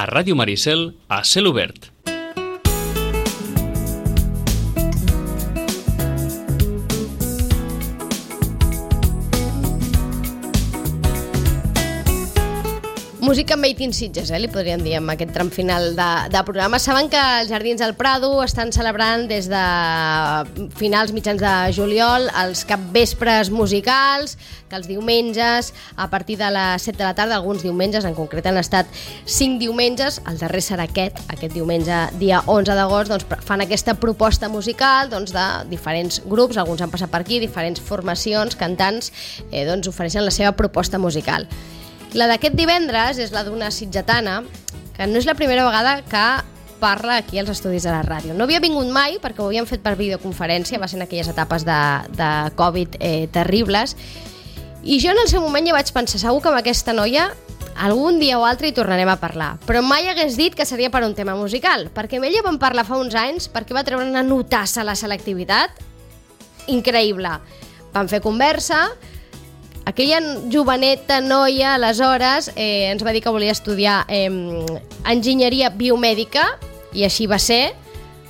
A Ràdio Maricel, a cel obert. Música made in Sitges, li podríem dir, amb aquest tram final de programa. Saben que els Jardins del Prado estan celebrant des de finals mitjans de juliol els capvespres musicals, que els diumenges, a partir de les 7 de la tarda, alguns diumenges, en concret han estat 5 diumenges, el darrer serà aquest diumenge, dia 11 d'agost, doncs fan aquesta proposta musical de diferents grups, alguns han passat per aquí, diferents formacions, cantants, doncs ofereixen la seva proposta musical. La d'aquest divendres és la d'una sitgetana, que no és la primera vegada que parla aquí als estudis de la ràdio. No havia vingut mai, perquè ho havíem fet per videoconferència, va ser en aquelles etapes de Covid terribles, i jo en el seu moment ja vaig pensar, segur que amb aquesta noia algun dia o altre hi tornarem a parlar, però mai hagués dit que seria per un tema musical, perquè amb ella vam parlar fa uns anys, perquè va treure una notassa a la selectivitat increïble. Vam fer conversa. Aquella joveneta noia, aleshores, ens va dir que volia estudiar enginyeria biomèdica, i així va ser.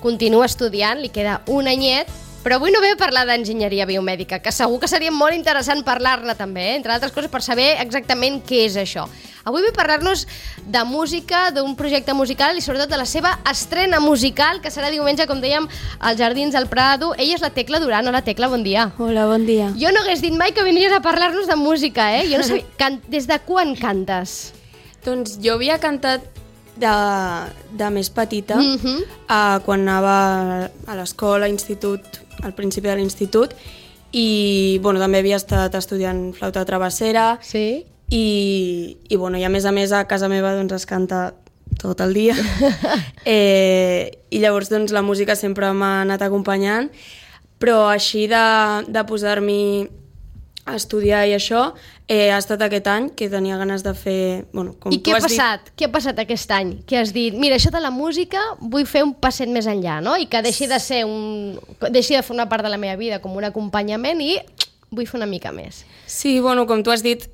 Continua estudiant, li queda un anyet, però avui no ve a parlar d'enginyeria biomèdica, que segur que seria molt interessant parlar-ne també, entre altres coses per saber exactament què és això. Avui ve a parlar-nos de música, d'un projecte musical i sobretot de la seva estrena musical, que serà diumenge, com dèiem, als Jardins del Prado. Ella és la Tecla Duran. Hola, Tecla, bon dia. Hola, bon dia. Jo no hagués dit mai que vinies a parlar-nos de música, Jo no sabia... Des de quan cantes? Doncs jo havia cantat de més petita, quan anava a l'escola, a institut, al principi de l'institut, i també havia estat estudiant flauta travessera. Sí. I a més a casa meva es canta tot el dia. I llavors la música sempre m'ha anat acompanyant, però així de posar-m'hi a estudiar i això, ha estat aquest any que tenia ganes de fer... I què ha passat? Què ha passat aquest any? Que has dit, mira, això de la música vull fer un passet més enllà, no? I que deixi de formar part de la meva vida com un acompanyament i vull fer una mica més. Sí, com tu has dit,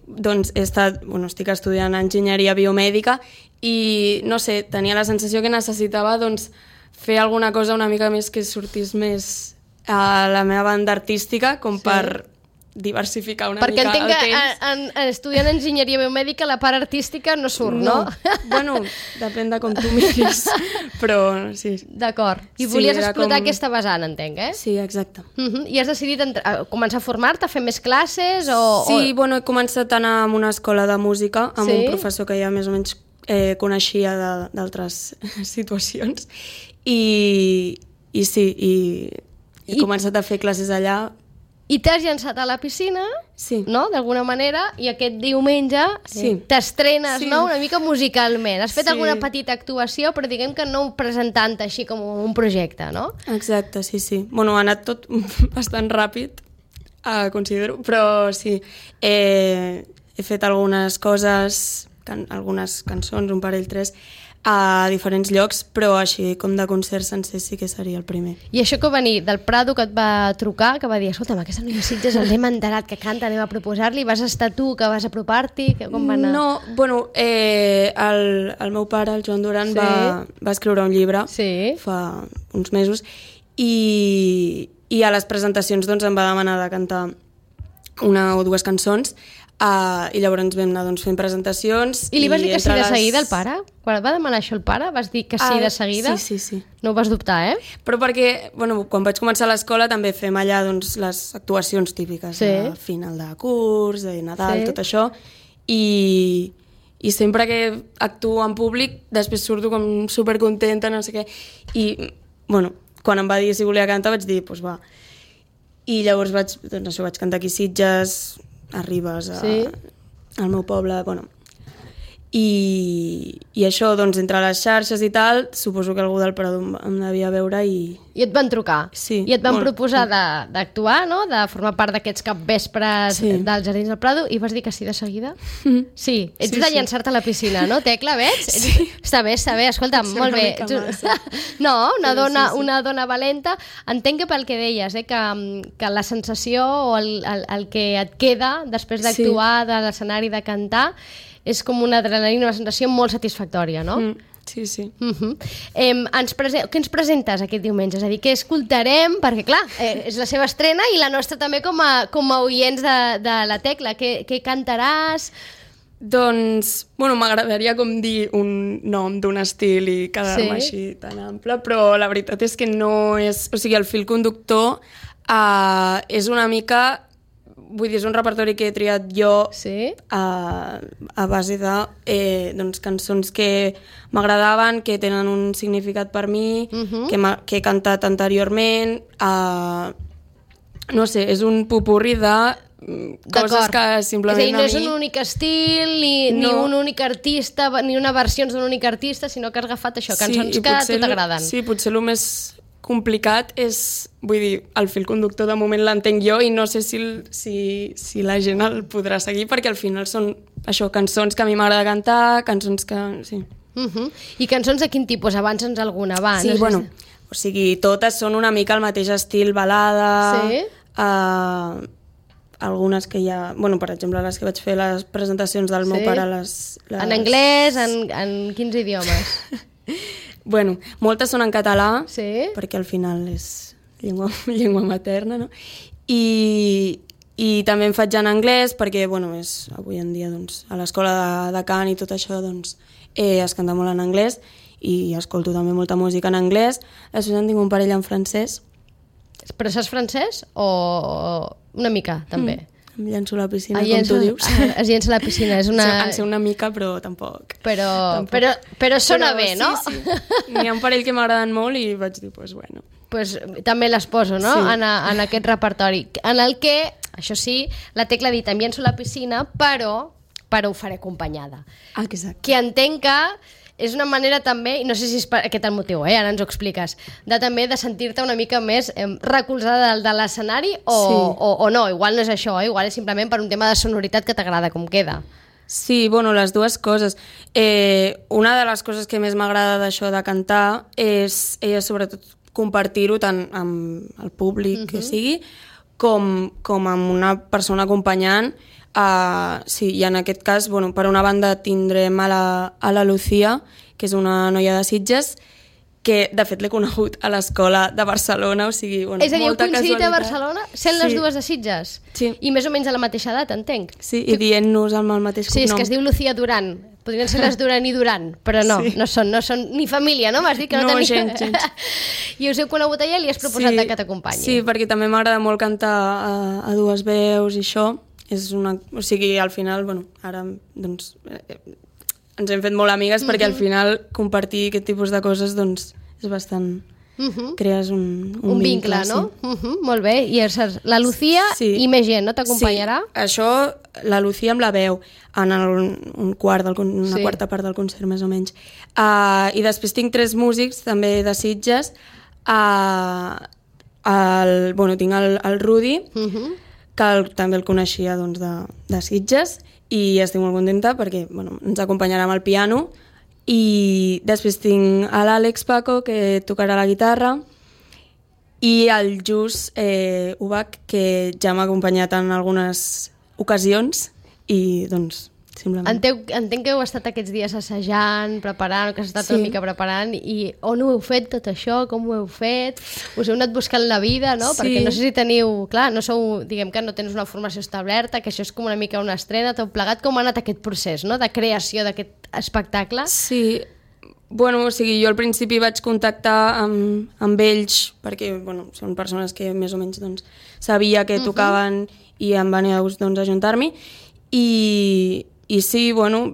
estic estudiant enginyeria biomèdica i, no sé, tenia la sensació que necessitava fer alguna cosa una mica més que sortís més a la meva banda artística, com per diversificar una mica el temps. Perquè entenc que estudiant enginyeria biomèdica la part artística no surt, no? Depèn de com tu miris, però sí. D'acord. I volies explotar aquesta vessant, entenc, Sí, exacte. I has decidit començar a formar-te, a fer més classes? Sí, he començat a anar a una escola de música amb un professor que ja més o menys coneixia d'altres situacions i he començat a fer classes allà. I t'has llançat a la piscina, no? D'alguna manera, i aquest diumenge t'estrenes, no? Una mica musicalment. Has fet alguna petita actuació, però diguem que no presentant així com un projecte, no? Exacte, sí. Ha anat tot bastant ràpid, considero, però sí. He fet algunes coses, algunes cançons, un parell, 3, a diferents llocs, però així com de concert sencer sí que seria el primer. I això que va venir del Prado, que et va trucar, que va dir, escolta'm, aquesta noia Sitges ens hem enterat que canta, anem a proposar-li, vas estar tu, que vas apropar-t'hi, com va anar? No, el meu pare, el Joan Duran, va escriure un llibre fa uns mesos i a les presentacions em va demanar de cantar una o dues cançons. I llavors ens vam anar fent presentacions. I li vas dir que sí de seguida al pare? Quan et va demanar això el pare, vas dir que sí de seguida? Sí. No ho vas dubtar, Però perquè, quan vaig començar a l'escola també fem allà les actuacions típiques, de final de curs, de Nadal, tot això, i sempre que actuo en públic després surto com supercontenta, no sé què, i quan em va dir si volia cantar vaig dir, doncs va. I llavors vaig cantar aquí a Sitges, a Ribes, al meu poble, i això, entre les xarxes i tal, suposo que algú del Prado em devia veure i... I et van trucar. Sí. I et van proposar d'actuar, no?, de formar part d'aquests capvespres dels Jardins del Prado, i vas dir que sí de seguida? Sí. Ets de llançar-te a la piscina, no, Tecla, veig? Sí. Està bé, escolta'm, molt bé. No, una dona valenta. Entenc que pel que deies, que la sensació o el que et queda després d'actuar, de l'escenari, de cantar, és com una adrenalina, una sensació molt satisfactòria, no? Sí, sí. Què ens presentes aquest diumenge? És a dir, què escoltarem? Perquè, clar, és la seva estrena i la nostra també com a oients de la Tecla. Què cantaràs? Doncs, bueno, m'agradaria com dir un nom d'un estil i quedar-me així tan ample, però la veritat és que no és... O sigui, el fil conductor és una mica... Vull dir, és un repertori que he triat jo a base de cançons que m'agradaven, que tenen un significat per mi, que he cantat anteriorment. No sé, és un popurri de coses que simplement és a dir, no és un únic estil, ni un únic artista, ni una versió d'un únic artista, sinó que has agafat això, cançons que a tu t'agraden. Sí, potser el més complicat és, vull dir, el fil conductor de moment l'entenc jo i no sé si la gent el podrà seguir, perquè al final són això, cançons que a mi m'agrada cantar, cançons que... Sí. I cançons de quin tipus? Abans alguna va? Sí, bueno, o sigui, totes són una mica el mateix estil, balada... Sí? Algunes que ja... Bueno, per exemple, les que vaig fer les presentacions del meu pare... En anglès? En quins idiomes? Bueno, moltes són en català, perquè al final és llengua materna, no? I també en faig en anglès, perquè, bueno, avui en dia, doncs, a l'escola de cant i tot això, doncs, es canta molt en anglès, i escolto també molta música en anglès. Després en tinc un parell en francès. Però saps francès o una mica, també? Em llenço a la piscina, com tu dius. Es llença a la piscina, és una... En sé una mica, però tampoc. Però sona bé, no? Sí. N'hi ha un parell que m'agraden molt i vaig dir, doncs, bueno. Pues també les poso, no?, en aquest repertori. En el que, això sí, la Tecla ha dit, em llenço a la piscina, però ho faré acompanyada. Exacte. Que entenc que és una manera també, i no sé si és aquest el motiu, ara ens ho expliques, també de sentir-te una mica més recolzada de l'escenari o no, igual no és això, igual és simplement per un tema de sonoritat que t'agrada com queda. Sí, bueno, les dues coses. Una de les coses que més m'agrada d'això de cantar és sobretot compartir-ho tant amb el públic que sigui com amb una persona acompanyant. Sí, i en aquest cas, bueno, per una banda tindrem a la Lucía, que és una noia de Sitges, que de fet l'he conegut a l'escola de Barcelona, o sigui, bueno, és a dir, molta casualitat. És a dir, heu coincidit a Barcelona sent les dues de Sitges? Sí. I més o menys a la mateixa edat, entenc? Sí, i dient-nos amb el mateix cognom. Sí, és que es diu Lucía Duran. Podrien ser les Duran i Duran, però no, no són ni família, no? M'has dit que no tenia... gens. I us heu conegut allà i li has proposat que t'acompanyi. Sí, perquè també m'agrada molt cantar a dues veus i això. O sigui, al final, bueno, ara doncs, ens hem fet molt amigues perquè al final compartir aquest tipus de coses doncs és bastant... crees un vincle, no? Sí. Molt bé, i la Lucía i més gent, no? T'acompanyarà? Sí, això, la Lucía amb la veu en una quarta part del concert, més o menys. I després tinc 3 músics, també de Sitges. Tinc el Rudi, que també el coneixia doncs, de Sitges, i estic molt contenta perquè ens acompanyarà amb el piano. I després tinc l'Àlex Paco, que tocarà la guitarra, i el Jus Ubach, que ja m'ha acompanyat en algunes ocasions, i doncs simplement... Entenc que heu estat aquests dies assajant, preparant, que has estat una mica preparant, i on ho heu fet tot això, com ho heu fet? Us heu anat buscant la vida, no? Perquè no sé si teniu... Clar, no sou, diguem que no tens una formació establerta, que això és com una mica una estrena, tot plegat. Com ha anat aquest procés, no?, de creació d'aquest espectacle? Sí, bueno, o sigui, jo al principi vaig contactar amb ells, perquè, bueno, són persones que més o menys doncs, sabia que tocaven i em va anar a gust doncs, ajuntar-m'hi, i sí, bueno,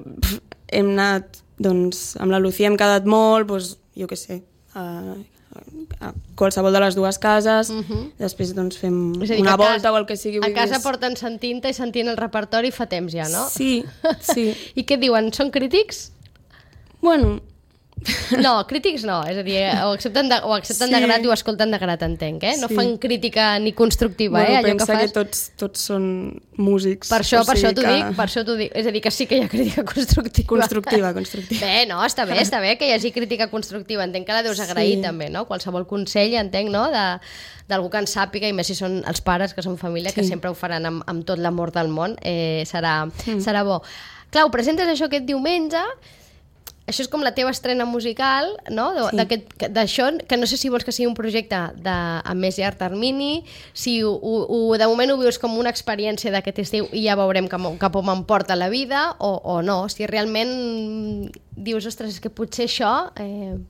hem anat, doncs, amb la Lucía hem quedat molt, doncs, jo què sé, a qualsevol de les dues cases, després doncs fem una volta o el que sigui. A casa porten sentint-te i sentint el repertori fa temps ja, no? Sí. I què diuen? Són crítics? Bueno... No, crítics no, és a dir, ho accepten de grat i ho escolten de grat, entenc, eh? No fan crítica ni constructiva, allò que fas... que tots són músics. Per això t'ho dic, és a dir, que sí que hi ha crítica constructiva. Constructiva. Bé, no, està bé que hi hagi crítica constructiva, entenc que la deus agrair també, no? Qualsevol consell, entenc, no?, d'algú que en sàpiga, i més si són els pares, que són família, que sempre ho faran amb tot l'amor del món, serà bo. Clar, ho presentes això aquest diumenge. això és com la teva estrena musical, no? D'això, que no sé si vols que sigui un projecte a més llarg termini, si de moment ho vius com una experiència d'aquest estiu i ja veurem cap on m'emporta la vida, o no, si realment dius, ostres, és que potser això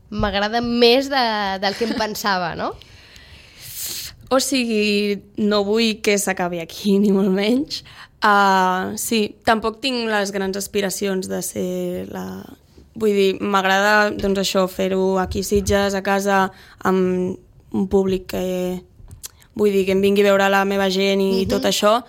m'agrada més del que em pensava, no? O sigui, no vull que s'acabi aquí, ni molt menys. Sí, tampoc tinc les grans aspiracions de ser la... Vull dir, m'agrada, doncs això, fer-ho aquí a Sitges, a casa, amb un públic que... Vull dir, que em vingui a veure la meva gent i tot això.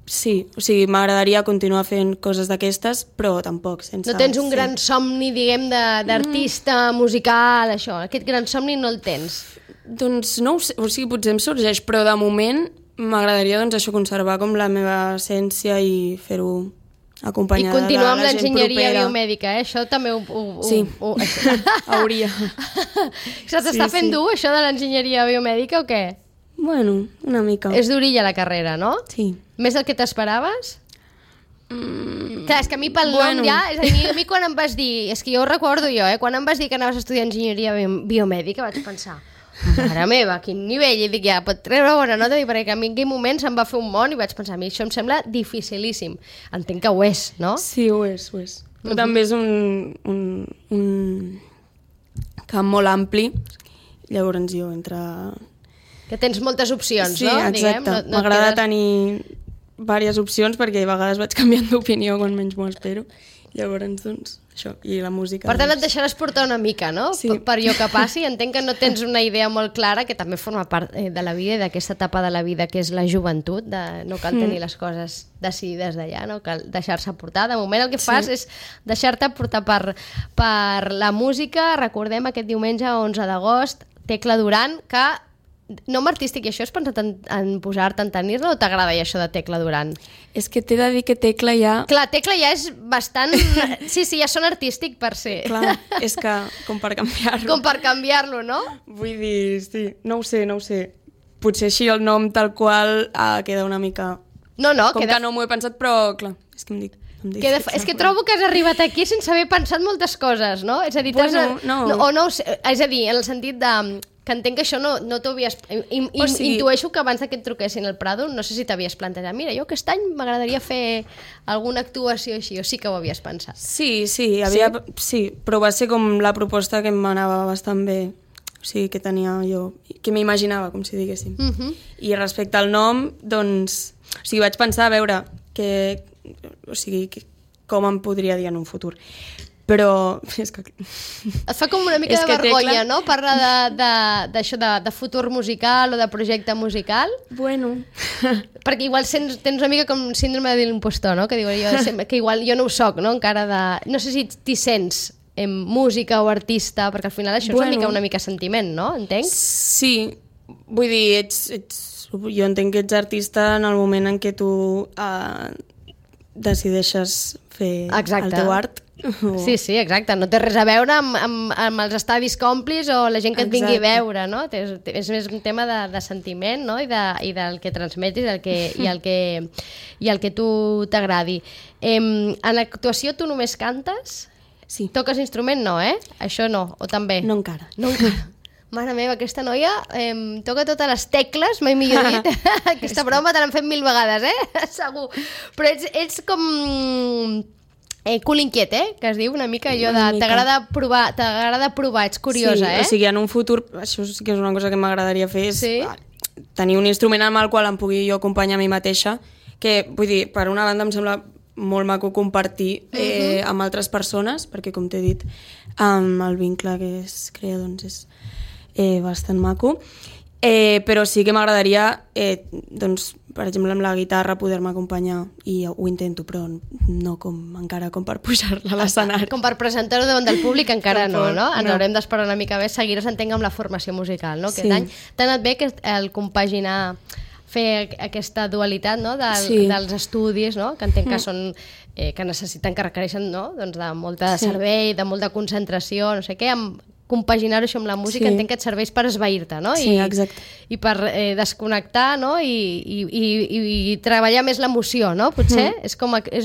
Sí, o sigui, m'agradaria continuar fent coses d'aquestes, però tampoc sense... No tens un gran somni, diguem, d'artista musical, això. Aquest gran somni no el tens. Doncs no ho sé, o sigui, potser em sorgeix, però de moment m'agradaria doncs això, conservar com la meva essència i fer-ho acompanyada de la gent propera. I continuar amb l'enginyeria biomèdica, això també Sí, hauria. Se t'està fent dur, això de l'enginyeria biomèdica, o què? Bueno, una mica. És durilla la carrera, no? Sí. Més del que t'esperaves? Clar, és que a mi pel nom ja... És a dir, a mi quan em vas dir... És que jo ho recordo jo, quan em vas dir que anaves a estudiar enginyeria biomèdica vaig pensar... Mare meva, quin nivell, i dic, ja, pot treure bona nota, perquè a mi en aquell moment se'm va fer un món i vaig pensar, a mi això em sembla dificilíssim. Entenc que ho és, no? Sí, ho és, ho és. Però també és un camp molt ampli, llavors jo entre... Que tens moltes opcions, sí, no? Sí, exacte. M'agrada tenir diverses opcions perquè a vegades vaig canviant d'opinió quan menys m'ho espero. Llavors, doncs, això, i la música... Per tant, et deixaràs portar una mica, no? Sí. Per allò que passi. Entenc que no tens una idea molt clara, que també forma part de la vida i d'aquesta etapa de la vida que és la joventut, no cal tenir les coses decidides d'allà, no cal deixar-se portar. De moment el que fas és deixar-te portar per la música. Recordem aquest diumenge, 11 d'agost, Tecla Duran, que nom artístic, i això has pensat en posar-te, en tenir-la, o t'agrada ja això de Tecla Duran? És que t'he de dir que Tecla ja... Clar, Tecla ja és bastant... Sí, ja són artístic per ser. Clar, és que com per canviar-lo. Com per canviar-lo, no? Vull dir, sí, no ho sé. Potser així el nom tal qual queda una mica... No, com que no m'ho he pensat, però clar, és que em dic... És que trobo que has arribat aquí sense haver pensat moltes coses, no? És a dir, és a dir, en el sentit de... que entenc que això no t'ho havies... Intueixo que abans que et truquessin al Prado, no sé si t'havies plantejat, mira, jo aquest any m'agradaria fer alguna actuació així, o sí que ho havies pensat? Sí, però va ser com la proposta que m'anava bastant bé, o sigui, que tenia jo, que m'imaginava, com si diguéssim. I respecte al nom, doncs, o sigui, vaig pensar, a veure, com em podria dir en un futur. Però és que... Et fa com una mica de vergonya, no? Parlar d'això de futur musical o de projecte musical. Bueno. Perquè igual tens una mica com síndrome de l'impostor, no? Que diu que igual jo no ho soc, no? Encara de... No sé si t'hi sents música o artista, perquè al final això és una mica sentiment, no? Entenc? Sí. Vull dir, jo entenc que ets artista en el moment en què tu decideixes fer el teu art. Sí, exacte. No té res a veure amb els estadis còmplis o la gent que et vingui a veure, no? És més un tema de sentiment, no? I del que transmetis i el que tu t'agradi. En l'actuació tu només cantes? Sí. Toques instrument? No, Això no, o també? No encara. No encara. Mare meva, aquesta noia toca totes les tecles, mai millor dit. Aquesta broma te l'han fet 1000 vegades, segur. Però ets com... cul inquiet, que es diu una mica allò de t'agrada provar, ets curiosa, Sí, o sigui, en un futur, això sí que és una cosa que m'agradaria fer, és tenir un instrument amb el qual em pugui jo acompanyar a mi mateixa, que, vull dir, per una banda em sembla molt maco compartir amb altres persones, perquè, com t'he dit, el vincle que es crea, doncs, és bastant maco. Però sí que m'agradaria, doncs, per exemple, amb la guitarra poder-me acompanyar, i ho intento, però no encara com per pujar-la a l'escenari. Com per presentar-ho davant del públic encara no? Ens haurem d'esperar una mica més, seguir-nos entenc amb la formació musical, no? Aquest any t'ha anat bé el compaginar, fer aquesta dualitat, no? Dels estudis, no? Que entenc que són que necessiten, que requereixen, no? Doncs de molta servei, de molta concentració, no sé què, amb compaginar-ho això amb la música, entenc que et serveix per esvair-te, no? Sí, exacte. I per desconnectar, no? I treballar més l'emoció, no? Potser és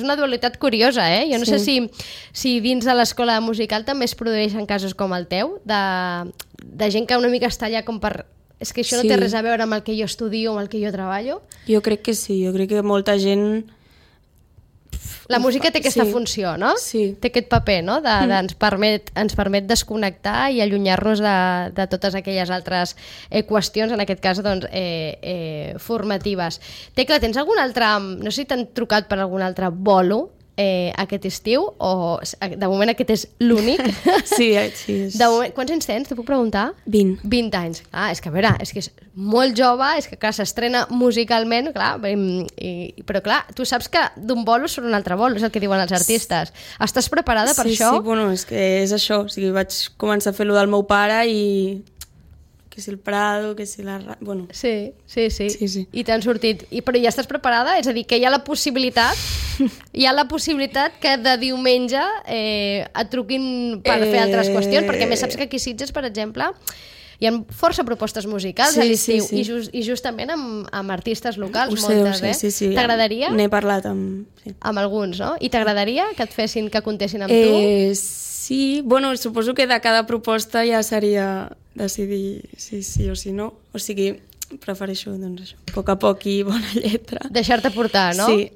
una dualitat curiosa, eh? Jo no sé si dins de l'escola musical també es produeixen casos com el teu, de gent que una mica està allà com per... És que això no té res a veure amb el que jo estudio o amb el que jo treballo? Jo crec que sí, jo crec que molta gent... La música té aquesta funció, no? Sí. Té aquest paper, no? Ens permet desconnectar i allunyar-nos de totes aquelles altres qüestions, en aquest cas, doncs, formatives. Tecla, tens algun altre... No sé si t'han trucat per algun altre bolo aquest estiu, o de moment aquest és l'únic? Sí. Quants anys tens, te puc preguntar? 20. 20 anys. És que a veure, és que és molt jove, és que clar, s'estrena musicalment, clar, però clar, tu saps que d'un bolo surt un altre bolo, és el que diuen els artistes. Estàs preparada per això? Sí, bueno, és que és això, o sigui, vaig començar a fer-lo del meu pare i... que si el Prado, que si la... Bueno. Sí. I t'han sortit. Però ja estàs preparada? És a dir, que hi ha la possibilitat que de diumenge et truquin per fer altres qüestions, perquè més saps que aquí a Sitges, per exemple, hi ha força propostes musicals a l'estiu, i justament amb artistes locals, moltes, Sí. T'agradaria? N'he parlat amb alguns, no? I t'agradaria que que comptessin amb tu? Sí, bueno, suposo que de cada proposta ja seria decidir si sí o si no. O sigui, prefereixo, doncs això, a poc i bona lletra. Deixar-te portar, no? Sí.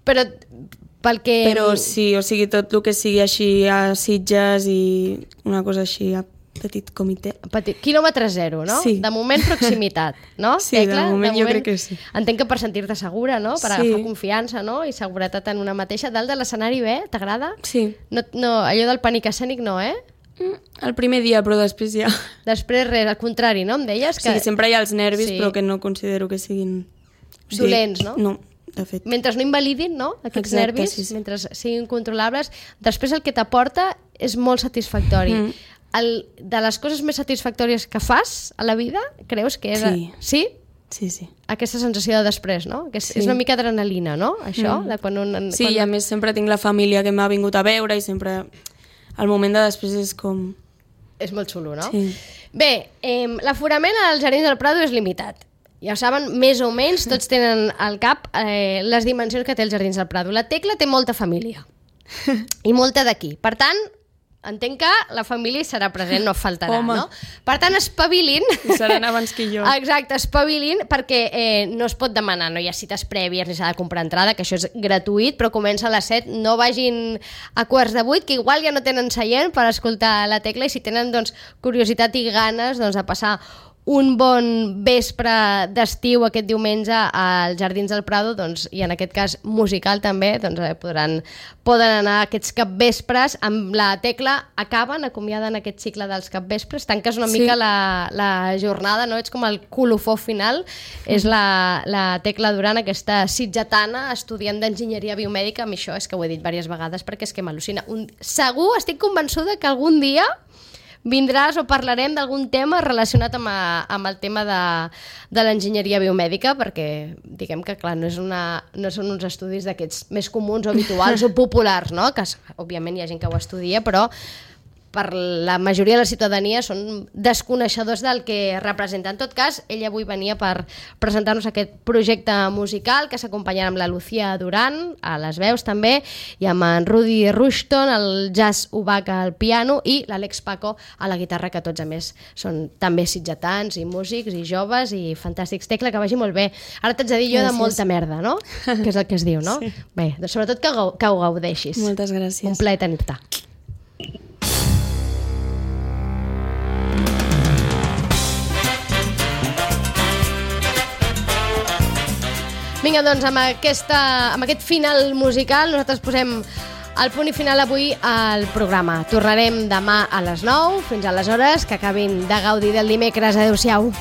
Però sí, o sigui, tot el que sigui així a Sitges i una cosa així a petit comitè. Quilòmetre zero, no? Sí. De moment, proximitat, no? Sí, de moment jo crec que sí. Entenc que per sentir-te segura, no? Per agafar confiança, no? I seguretat en una mateixa. Dalt de l'escenari bé? T'agrada? Sí. No, allò del pànic escènic no, eh? El primer dia, però després ja... Després res, al contrari, no? Em deies que... Sí, sempre hi ha els nervis, però que no considero que siguin... dolents, no? No, de fet. Mentre no invalidin, no? Aquests nervis, mentre siguin controlables, després el que t'aporta és molt satisfactori. De les coses més satisfactòries que fas a la vida, creus que és... Sí? Sí. Aquesta sensació de després, no? Que és una mica adrenalina, no? Això, de quan i a més sempre tinc la família que m'ha vingut a veure i sempre... El moment de després és com... És molt xulo, no? Sí. Bé, l'aforament als Jardins del Prado és limitat. Ja ho saben, més o menys, tots tenen al cap les dimensions que té els Jardins del Prado. La Tecla té molta família. I molta d'aquí. Per tant, entenc que la família hi serà present, no faltarà, no? Per tant, espavilin. I seran abans que jo. Exacte, espavilin, perquè no es pot demanar, no hi ha cites prèvies ni s'ha de comprar entrada, que això és gratuït, però comença a les 7, no vagin a 7:15, que igual ja no tenen seient per escoltar la Tecla, i si tenen doncs, curiositat i ganes doncs, de passar un bon vespre d'estiu aquest diumenge als Jardins del Prado, doncs, i en aquest cas musical també, doncs, poden anar aquests capvespres amb la Tecla, acomiaden aquest cicle dels capvespres, tanques una mica la jornada, no? Ets com el colofó final, és la Tecla Duran, aquesta sitgetana, estudiant d'enginyeria biomèdica. Amb això és que ho he dit diverses vegades perquè és que m'al·lucina. Segur, estic convençuda que algun dia vindràs o parlarem d'algun tema relacionat amb el tema de l'enginyeria biomèdica, perquè diguem que clar, no són uns estudis d'aquests més comuns o habituals o populars, no? Que òbviament hi ha gent que ho estudia, però per la majoria de la ciutadania són desconeixedors del que representa. En tot cas, ella avui venia per presentar-nos aquest projecte musical que s'acompanyarà amb la Lucía Duran, a les veus també, i amb en Rudy Rushton, el Jazz Ubach al piano, i l'Àlex Paco a la guitarra, que tots a més són també sitgetans i músics i joves i fantàstics. Tecla, que vagi molt bé. Ara t'haig de dir jo de molta merda, no? Que és el que es diu, no? Sí. Bé, doncs sobretot que ho gaudeixis. Moltes gràcies. Un plaer tenir-te. Vinga, doncs amb aquest final musical nosaltres posem el punt i final avui al programa. Tornarem demà a les 9. Fins aleshores, que acabin de gaudir del dimecres. Adéu-siau.